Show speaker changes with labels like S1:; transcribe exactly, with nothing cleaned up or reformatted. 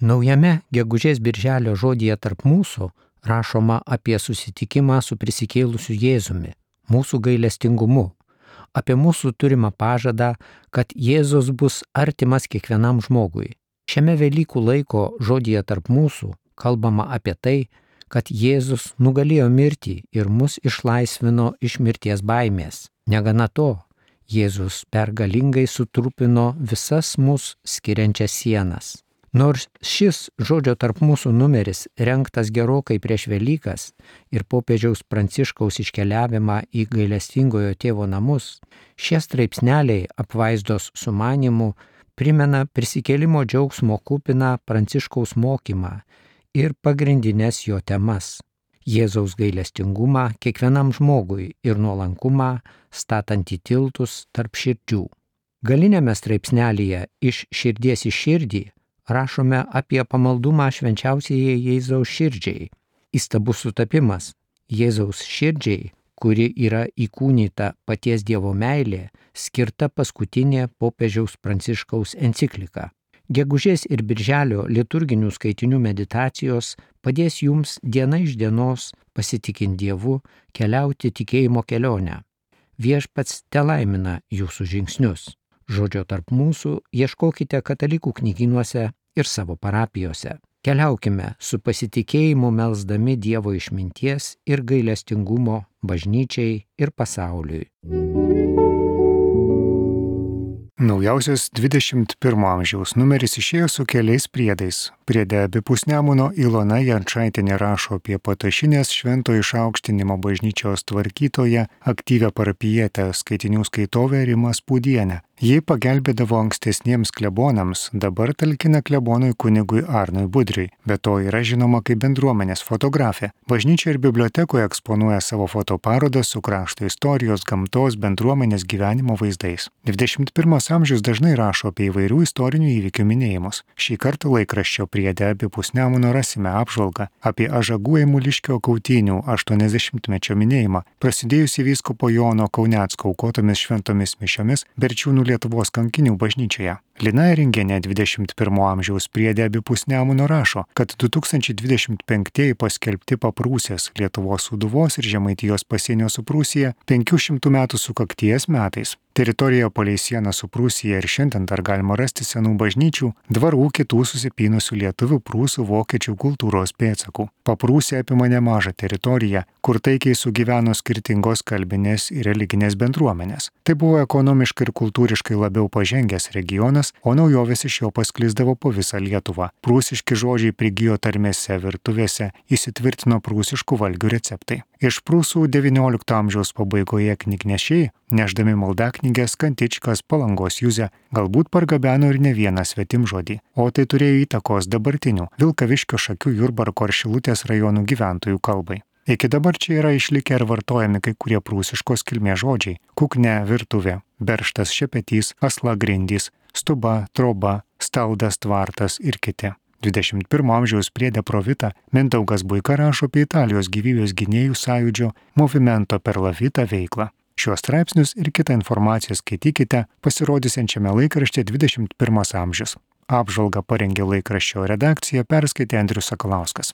S1: Naujame gegužės birželio žodyje tarp mūsų rašoma apie susitikimą su prisikėlusiu Jėzumi, mūsų gailestingumu, apie mūsų turimą pažadą, kad Jėzus bus artimas kiekvienam žmogui. Šiame Velykų laiko žodyje tarp mūsų kalbama apie tai, kad Jėzus nugalėjo mirtį ir mus išlaisvino iš mirties baimės. Negana to, Jėzus pergalingai sutrupino visas mus skiriančias sienas. Nors šis žodžio tarp mūsų numeris rengtas gerokai prieš Velykas ir popiežiaus Pranciškaus iškeliavimą į gailestingojo tėvo namus, šie straipsneliai apvaizdos sumanymu primena prisikėlimo džiaugsmo kupiną Pranciškaus mokymą ir pagrindinės jo temas - Jėzaus gailestingumą kiekvienam žmogui ir nuolankumą statant į tiltus tarp širdžių. Galiniame straipsnelyje iš širdies į širdį rašome apie pamaldumą švenčiausiajai Jėzaus širdžiai. Įstabus sutapimas Jėzaus širdžiai, kuri yra įkūnyta paties Dievo meilė, skirta paskutinė popiežiaus Pranciškaus enciklika. Gegužės ir birželio liturginių skaitinių meditacijos padės jums diena iš dienos, pasitikint Dievu, keliauti tikėjimo kelionę. Viešpats telaimina jūsų žingsnius. Žodžio tarp mūsų ieškokite katalikų knygynuose ir savo parapijose. Keliaukime su pasitikėjimu melsdami Dievo išminties ir gailestingumo bažnyčiai ir pasauliui.
S2: Naujausias dvidešimt pirmo amžiaus numeris išėjo su keliais priedais. Priede abipus Nemuno Ilona Jančaitienė rašo apie Patašinės švento išaukštinimo bažnyčios tvarkytoją, aktyvią parapijietę, skaitinių skaitovę Rimą Spūdienę. Ji pagelbėdavo ankstesniems klebonams, dabar talkina klebonui kunigui Arnui Budriui, be to yra žinoma kaip bendruomenės fotografė. Bažnyčia ir bibliotekoje eksponuoja savo fotoparodą su krašto istorijos, gamtos, bendruomenės gyvenimo vaizdais. dvidešimt pirmas amžius dažnai rašo apie įvairių istorinių įvykių minėjimus. Šį kartą laikraščio priede abipus Nemuno rasime apžvalgą apie Ažagų Eimuliškio kautynių aštuoniasdešimtmečio minėjimą, prasidėjusį vyskupo Jono Kaunecko aukotomis šventomis mišiomis Berčiūnų Lietuvos kankinių bažnyčioje. Lina Eringienė dvidešimt pirmo amžiaus priede abipus Nemuno rašo, kad du tūkstančiai dvidešimt penktieji paskelbti Paprūsės, Lietuvos Sūduvos ir Žemaitijos pasienio su Prūsija penkių šimtų metų sukakties metais. Teritorijoje palei sieną su Prūsija ir šiandien dar galima rasti senų bažnyčių, dvarų, kitų susipynusių lietuvių, prūsų, vokiečių kultūros pėdsakų. Paprūsė apima nemažą teritoriją, kur taikiai sugyveno skirtingos kalbinės ir religinės bendruomenės. Tai buvo ekonomiškai ir kultūriškai labiau pažengęs regionas, o naujovės iš jo pasklisdavo po visą Lietuvą. Prūsiški žodžiai prigijo tarmėse, virtuvėse, įsitvirtino prūsiškų valgių receptai. Iš Prūsų devyniolikto amžiaus pabaigoje knygnešiai, nešdami maldaknygės, kantičkas, Palangos juzę, galbūt pargabeno ir ne vieną svetimžodį, o tai turėjo įtakos dabartinių Vilkaviškio, Šakių, Jurbarko ar Šilutės rajonų gyventojų kalbai. Iki dabar čia yra išlikę ir vartojami kai kurie prūsiškos kilmės žodžiai - kukne virtuvė, berštas šepetys, asla grindys, stuba, troba, staldas tvartas ir kiti. dvidešimt pirmo amžiaus priede Provita Mindaugas Buika rašo apie Italijos gyvybės gynėjų sąjūdžio Movimento per la Vita veiklą. Šiuos straipsnius ir kitą informaciją skaitykite pasirodysiančiame laikrašte dvidešimt pirmas amžius. Apžvalgą parengė laikraščio redakcija, perskaitė Andrius Sakalauskas.